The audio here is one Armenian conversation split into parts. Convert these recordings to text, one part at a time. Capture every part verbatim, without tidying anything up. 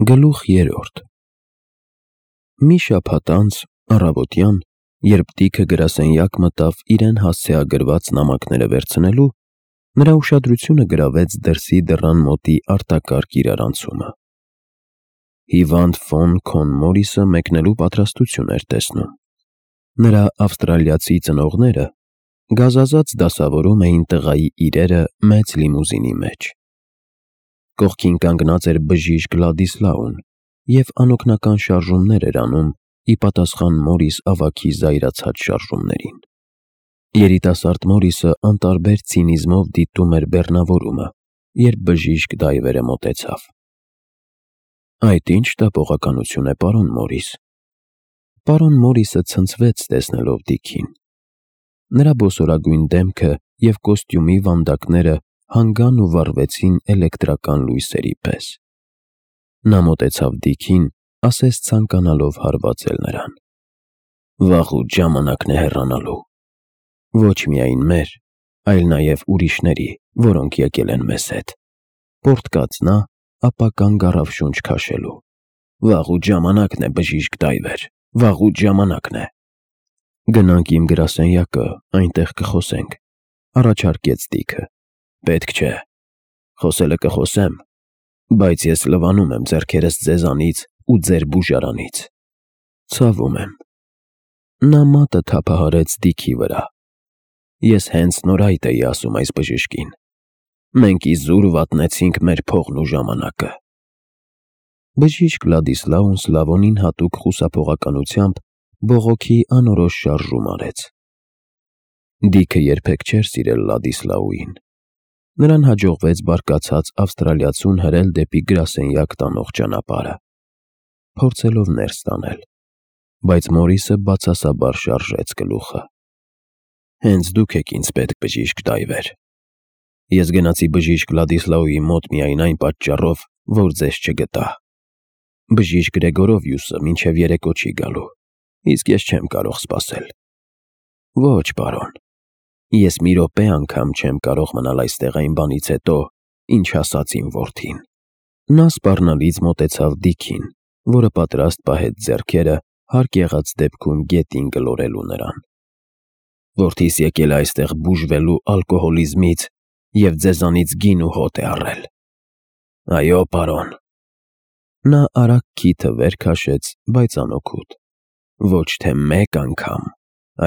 Գլուխ երրորդ Մի շաբաթ անց, առավոտյան, երբ Դիքը գրասենյակ մտավ իրեն հասցեագրված նամակները վերցնելու, նրա ուշադրությունը գրավեց դրսի դռան մոտի արտակարգ իրարանցումը։ Հիվանդ ֆոն Քոն Մորիսը մեկնելու պատրաստություն էր տեսնում։ Նրա ավստրալիացի ծնողները գազազած դասավորում էին տղայի իրերը մեծ լիմուզինի մեջ։ Կողքին կանգնած էր բժիշկ Լադիսլաուն և անօգնական շարժումներ էր անում ի պատասխան Մորիս ավագի զայրացած շարժումներին։ Երիտասարդ Մորիսը անտարբեր ցինիզմով դիտում էր բեռնավորումը, երբ բժիշկ Դայվերը մոտեցավ։ Այդ ի՞նչ տպողականություն է, պարոն Մորիս։ Պարոն Մորիսը ցնցվեց տեսնելով Դիքին։ Նրա բոսորագույն դեմքը և կոստյումի վանդակները հանգան ու վառվեցին էլեկտրական լույսերի պես։ Նա մոտեցավ Դիքին, ասես ցանկանալով հարվածել նրան. Վաղուց ժամանակն է հեռանալու։ Ոչ միայն մեր, այլ նաև ուրիշների, որոնք եկել են մեզ հետ։ Պոռթկաց նա, ապա կանգ առավ շունչ քաշելու։ Վաղուց ժամանակն է, բժիշկ Դայվեր, վաղուց ժամանակն է։ Գնանք իմ գրասենյակը, այնտեղ կխոսենք, առաջարկեց Դիքը։ Պետք չէ։ Խոսելը կխոսեմ, բայց ես լվանում եմ ձեռքերս ձեզանից ու ձեր բուժարանից։ Ցավում եմ։ Նա մատը թափահարեց Դիքի վրա։ Ես հենց նոր այդ էի ասում այս բժշկին։ Մենք իզուր վատնեցինք մեր փողն ու ժամանակը։ Բժիշկ Լադիսլաուն Սլավոնին հատուկ խուսափողականությամբ բողոքի անորոշ շարժում արեց։ Դիքը երբեք չէր սիրել Լադիսլաուին։ Նրան հաջողվեց բարկացած ավստրալիացուն հրել դեպի գրասենյակ տանող ճանապարհը, փորձելով ներս տանել, բայց Մորիսը բացասաբար շարժեց գլուխը։ Հենց դուք եք ինձ պետք, բժիշկ Դայվեր։ Ես գնացի բժիշկ Լադիսլաուի մոտ միայն այն պատճառով, որ ձեզ չգտա։ Բժիշկ Գրեգորովյուսը մինչև երեկո չի գալու, իսկ ես չեմ կարող սպասել։ Ոչ, պարոն։ Ես մի րոպե անգամ չեմ կարող մնալ այստեղ այն բանից հետո, ինչ ասաց իմ որդին։ Նա սպառնալից մոտեցավ Դիքին, որը պատրաստ պահեց ձեռքերը հարկ եղած դեպքում գետին գլորելու նրան։ Որդիս եկել է այստեղ բուժվելու ալկոհոլիզմից և ձեզանից գին ու հոտ է առել։ Այո, պարոն։ Նա արագ քիթը վեր քաշեց, բայց անօգուտ։ Ոչ թե մեկ անգամ,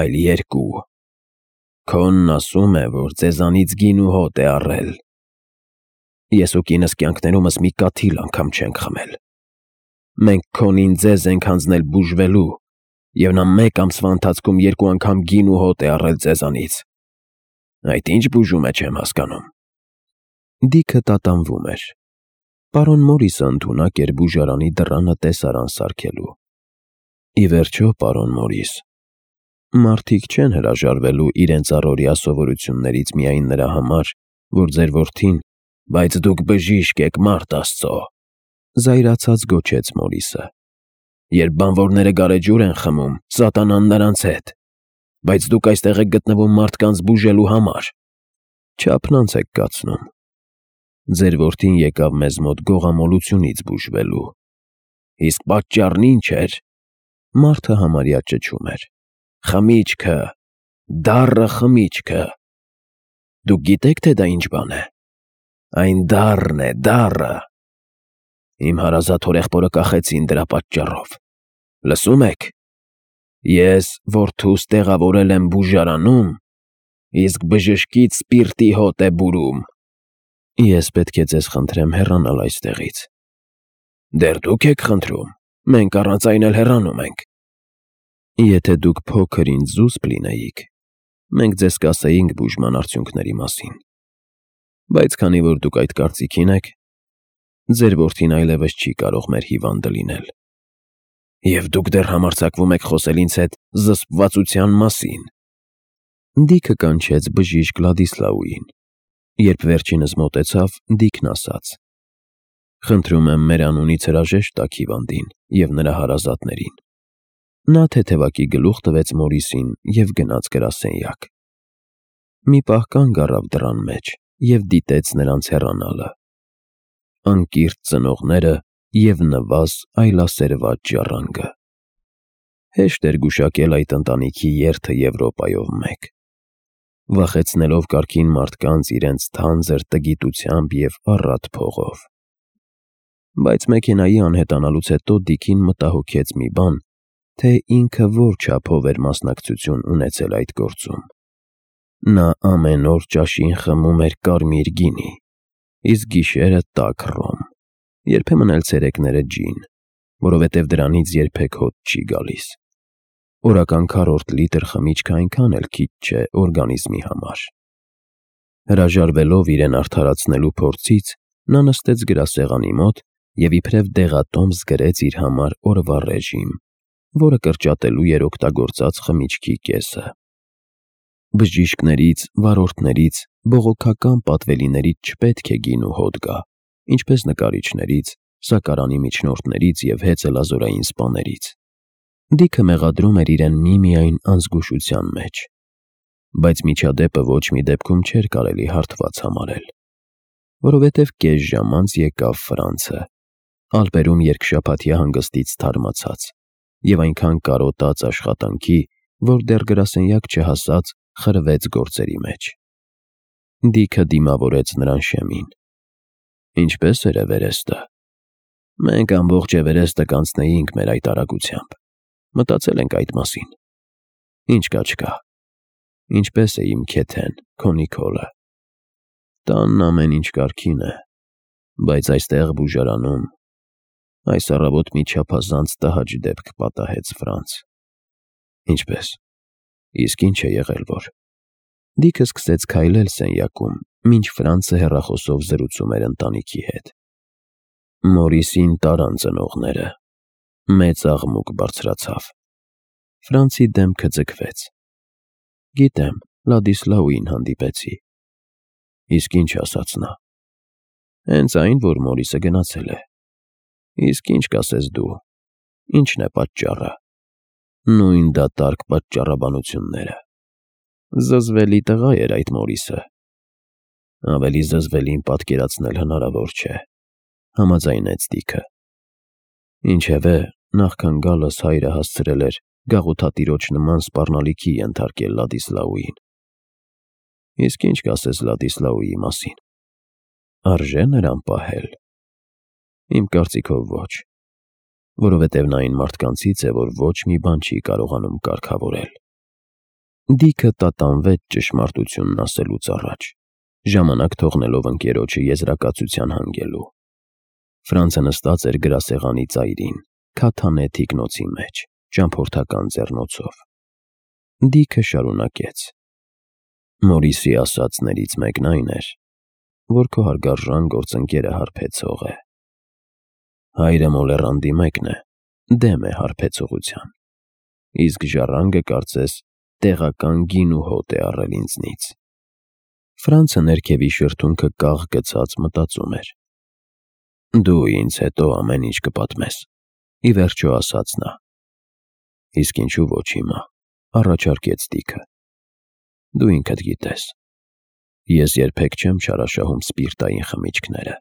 այլ երկու։ Քոնն ասում է, որ ձեզանից գին ու հոտ է առել։ Ես ու կինս կյանքներումս մի կաթիլ անգամ չենք խմել։ Մենք Քոնին ձեզ ենք հանձնել բուժվելու, և նա մեկ ամսվա ընթացքում երկու անգամ գին ու հոտ է առել ձեզանից։ Այդ ի՞նչ բուժում է, չեմ հասկանում։ Դիքը տատանվում էր։ Պարոն Մորիսը ընդունակ էր բուժարանի դռանը տեսարան սարքելու։ Ի վերջո, պարոն Մորիս, մարդիկ չեն հրաժարվելու իրենց առօրյա սովորություններից միայն նրա համար, որ ձեր որդին, բայց դուք բժիշկ եք, մարդ Աստծո, զայրացած գոչեց Մորիսը։ Երբ բանվորները գարեջուր են խմում, սատանան նրանց հետ, բայց դուք այստեղ եք գտնվում մարդկանց բուժելու համար։ Չափնանց եք կացնում։ Ձեր որդին եկավ մեզ մոտ գողամոլությունից բուժվելու։ Իսկ պատճառն ինչ էր։ Մարդը համարյա ճչում էր։ Խմիչքը, դառը խմիչքը։ Դուք գիտեք, թե դա ինչ բան է։ Այն դառն է, դառը։ Իմ հարազատ հորեղբորը կախեցին դրա պատճառով։ Լսում եք։ Ես որդուս տեղավորել եմ բուժարանում, իսկ բժշկից սպիրտի հոտ է բուրում։ Ես պետք է ձեզ խնդրեմ հեռանալ այստեղից։ Դեռ դուք եք խնդրում, մենք առանց այն էլ հեռանում ենք։ Եթե դուք փոքր ինձ զուսպ լինեիք, մենք ձեզ կասեինք բուժման արդյունքների մասին։ Բայց քանի որ դուք այդ կարծիքին եք, ձեր որդին այլևս չի կարող մեր հիվանդը լինել։ Եվ դուք դեռ համարձակվում եք խոսել ինձ հետ զսպվածության մասին։ Դիքը կանչեց բժիշկ Լադիսլաուին։ Երբ վերջինս մոտեցավ, Դիքն ասաց. Խնդրում եմ մեր անունից հրաժեշտ տաք հիվանդին և նրա հարազատներին։ Նա թեթևակի գլուխ տվեց Մորիսին և գնաց գրասենյակ։ Մի պահ կանգ առավ դռան մեջ և դիտեց նրանց հեռանալը։ Անկիրճ ծնողները և նվազ այլասերված ժառանգը։ Հեշտ էր գուշակել այդ ընտանիքի երթը Եվրոպայով մեկ, վախեցնելով կարգին մարդկանց իրենց թանձր տգիտությամբ և առատ փողով։ Բայց մեքենայի անհետանալուց հետո Դիքին մտահոգեց մի բան, թե ինքը որ չափով էր մասնակցություն ունեցել այդ գործում։ Նա ամեն օր ճաշին խմում էր կարմիր գինի, իսկ գիշերը տաք ռոմ, երբեմն էլ ցերեկները ջին, որովհետև դրանից երբեք հոտ չի գալիս։ Օրական քառորդ լիտր խմիչքը այնքան էլ քիչ չէ օրգանիզմի համար։ Հրաժարվելով իրեն արդարացնելու փորձից, նա նստեց գրասեղանի մոտ և իբրև դեղատոմս գրեց իր համար օրվա ռեժիմ, որը կրճատելու էր օգտագործած խմիչքի կեսը։ Բժիշկներից, վարորդներից, բողոքական պատվելիներից չպետք է գինու հոտ գա, ինչպես նկարիչներից, սակարանի միջնորդներից և հեծելազորային սպաներից։ Դիքը մեղադրում էր իրեն միմիայն անզգուշության մեջ, բայց միջադեպը ոչ մի դեպքում չէր կարելի հարթված համարել, որովհետև կես ժամ անց եկավ Ֆրանցը, Ալպերում երկշաբաթյա հանգստից թարմացած և այնքան կարոտած աշխատանքի, որ դեռ գրասենյակ չհասած խրվեց գործերի մեջ։ Դիքը դիմավորեց նրան շեմին։ Ինչպե՞ս էր Էվերեստը։ Մենք ամբողջ Էվերեստը կանցնեինք մեր այդ արագությամբ։ Մտածել ենք այդ մասին։ Ինչ կա չկա։ Ինչպե՞ս է իմ Քեթեն, քո Նիկոլը։ Տանն ամեն ինչ կարգին է, բայց այստեղ բուժարանում այս առավոտ մի չափազանց տհաճ դեպք պատահեց Ֆրանց։ Ինչպե՞ս։ Իսկ ինչ է եղել որ։ Դիքը սկսեց քայլել սենյակում, մինչ Ֆրանցը հեռախոսով զրուցում էր ընտանիքի հետ։ Մորիսին տարան ծնողները։ Մեծ աղմուկ բարձրացավ։ Ֆրանցի դեմքը ձգվեց։ Գիտեմ, Լադիսլաուին հանդիպեցի։ Իսկ ինչ ասաց նա։ Հենց այն, որ Մորիսը գնացել է։ Իսկ ինչ կասես դու, ինչն է պատճառը։ Նույն դատարկ պատճառաբանությունները։ Զզվելի տղա էր այդ Մորիսը։ Ավելի զզվելին պատկերացնել հնարավոր չէ, համաձայնեց Դիքը։ Ինչևէ, նախքան գալս հայրը հասցրել էր գաղութատիրոջ նման սպառնալիքի ենթարկել Լադիսլաուին։ Իսկ ինչ կասես Լադիսլաուի մասին։ Արժե՞ նրան պահել։ Իմ կարծիքով ոչ, որովհետև նա այն մարդկանցից է, որ ոչ մի բան չի կարողանում կարգավորել։ Դիքը տատանվեց ճշմարտությունն ասելուց առաջ, ժամանակ թողնելով ընկերոջը եզրակացության հանգելու։ Ֆրանցը նստած էր գրասեղանի ծայրին, քաթանե թիկնոցի մեջ, ճամփորդական ձեռնոցով։ Դիքը շարունակեց. Մորիսի ասածներից մեկն այն էր, որ քո հարգարժան գործընկերը հարբեցող է։ Հայրը Մոլեռանդի մեկն է, դեմ է հարբեցողության, իսկ ժառանգը կարծես տեղական գինու հոտ է առել ինձնից։ Ֆրանցը ներքևի շրթունքը կաղ գցած մտածում էր։ Դու ինձ հետո ամեն ինչ կպատմես, ի վերջո ասաց նա։ Իսկ ինչու ոչ հիմա, առաջարկեց Դիքը։ Դու ինքդ գիտես, ես երբեք չեմ չարաշահում սպիրտային խմիչքները։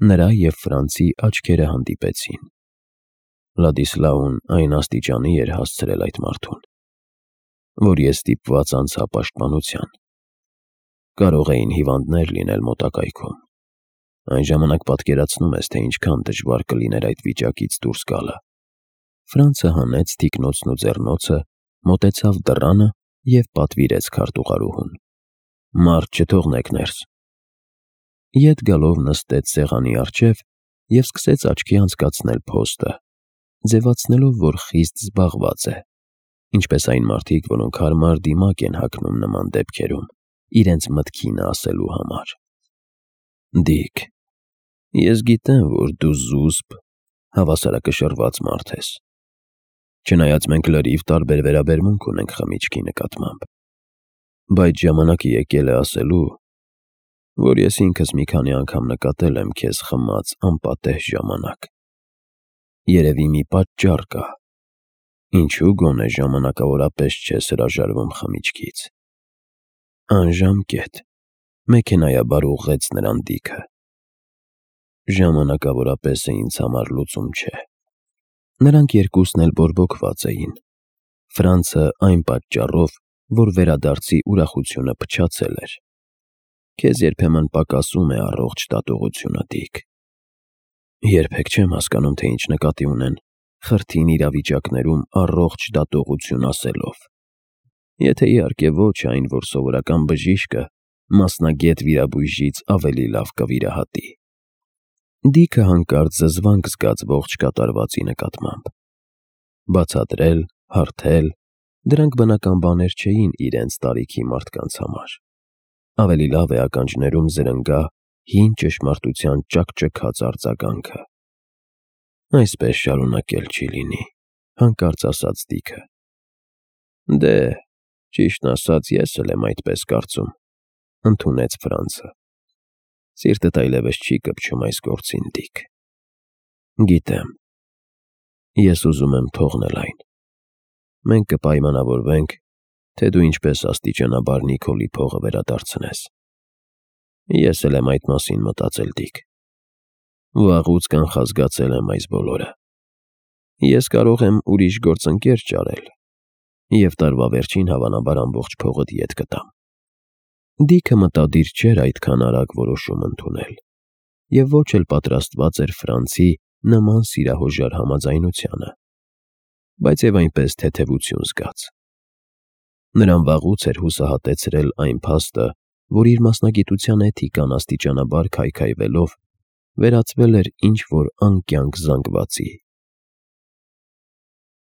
Նրա և Ֆրանցի աչքերը հանդիպեցին։ Լադիսլաուն այն աստիճանի էր հասցրել այդ մարդուն, որ ես ստիպված անցա պաշտպանության։ Կարող էին հիվանդներ լինել մոտակայքում։ Այն ժամանակ պատկերացնում ես, թե ինչքան դժվար կլիներ այդ վիճակից դուրս գալը։ Ֆրանցը հանեց թիկնոցն ու ձեռնոցը, մոտեցավ դռանը և պատվիրեց քարտուղարուհուն. Մարդ չթողնեք ներս։ Ետ գալով նստեց սեղանի առջև և սկսեց աչքի անցկացնել փոստը, ձևացնելով, որ խիստ զբաղված է, ինչպես այն մարդիկ, որոնք հարմար դիմակ են հագնում նման դեպքերում, իրենց մտքինը ասելու համար։ Դիք, ես գիտեմ, որ դու զուսպ, հավասարակշռված մարդ ես։ Չնայած մենք լրիվ տարբեր վերաբերմունք ունենք խմիչքի նկատմամբ, բայց ժամանակը եկել է ասելու, որ ես ինքս մի քանի անգամ նկատել եմ քեզ խմած անպատեհ ժամանակ։ Երևի մի պատճառ կա, ինչու գոնե ժամանակավորապես չես հրաժարվում խմիչքից։ Անժամկետ, մեքենայաբար ուղղեց նրան Դիքը։ ժամանակավորապես է ինձ համար լուծում չէ։ Նրանք երկուսն էլ բորբոքված էին։ Ֆրանցը այն պատճառով, որ վերադարձի ուրախությունը փչացել էր։ Քեզ երբեմն պակասում է առողջ դատողությունը, Դիք։ Երբեք չեմ հասկանում, թե ինչ նկատի ունեն խրթին իրավիճակներում առողջ դատողություն ասելով։ Եթե իհարկե ոչ այն, որ սովորական բժիշկը մասնագետ վիրաբույժից ավելի լավ կվիրահատի։ Դիքը հանկարծ զզվանք զգաց ողջ կատարվածի նկատմամբ։ Բացատրել, հարթել, դրանք բնական բաներ չէին իրենց տարիքի մարդկանց համար։ Ավելի լավ է ականջներում զրնգա հին ճշմարտության ճաքճքած արձագանքը։ Այսպես շարունակել չի լինի, հանկարծ ասաց Դիքը։ Դե, ճիշտն ասած, ես էլ եմ այդպես կարծում, ընդունեց Ֆրանցը։ Սիրտդ այլևս չի կպչում այս գործին, Դիք։ Գիտեմ։ Ես ուզում եմ թողնել այն։ Մենք կպայմանավորվենք, թե դու ինչպես աստիճանաբար Նիկոլի փողը վերադարձնես։ Ես էլ եմ այդ մասին մտածել, Դիք։ Վաղուց կանխազգացել եմ այս բոլորը։ Ես կարող եմ ուրիշ գործընկեր ճարել, և տարվա վերջին հավանաբար ամբողջ փողդ ետ կտամ։ Դիքը մտադիր չէր այդքան արագ որոշում ընդունել, և ոչ էլ պատրաստված էր Ֆրանցի նման սիրահոժար համաձայնությանը, բայց և այնպես թեթևություն զգաց։ Նրան վաղուց էր հուսահատեցրել այն փաստը, որ իր մասնագիտության էթիկան աստիճանաբար քայքայվելով վերածվել էր ինչ-որ անկյանք զանգվածի։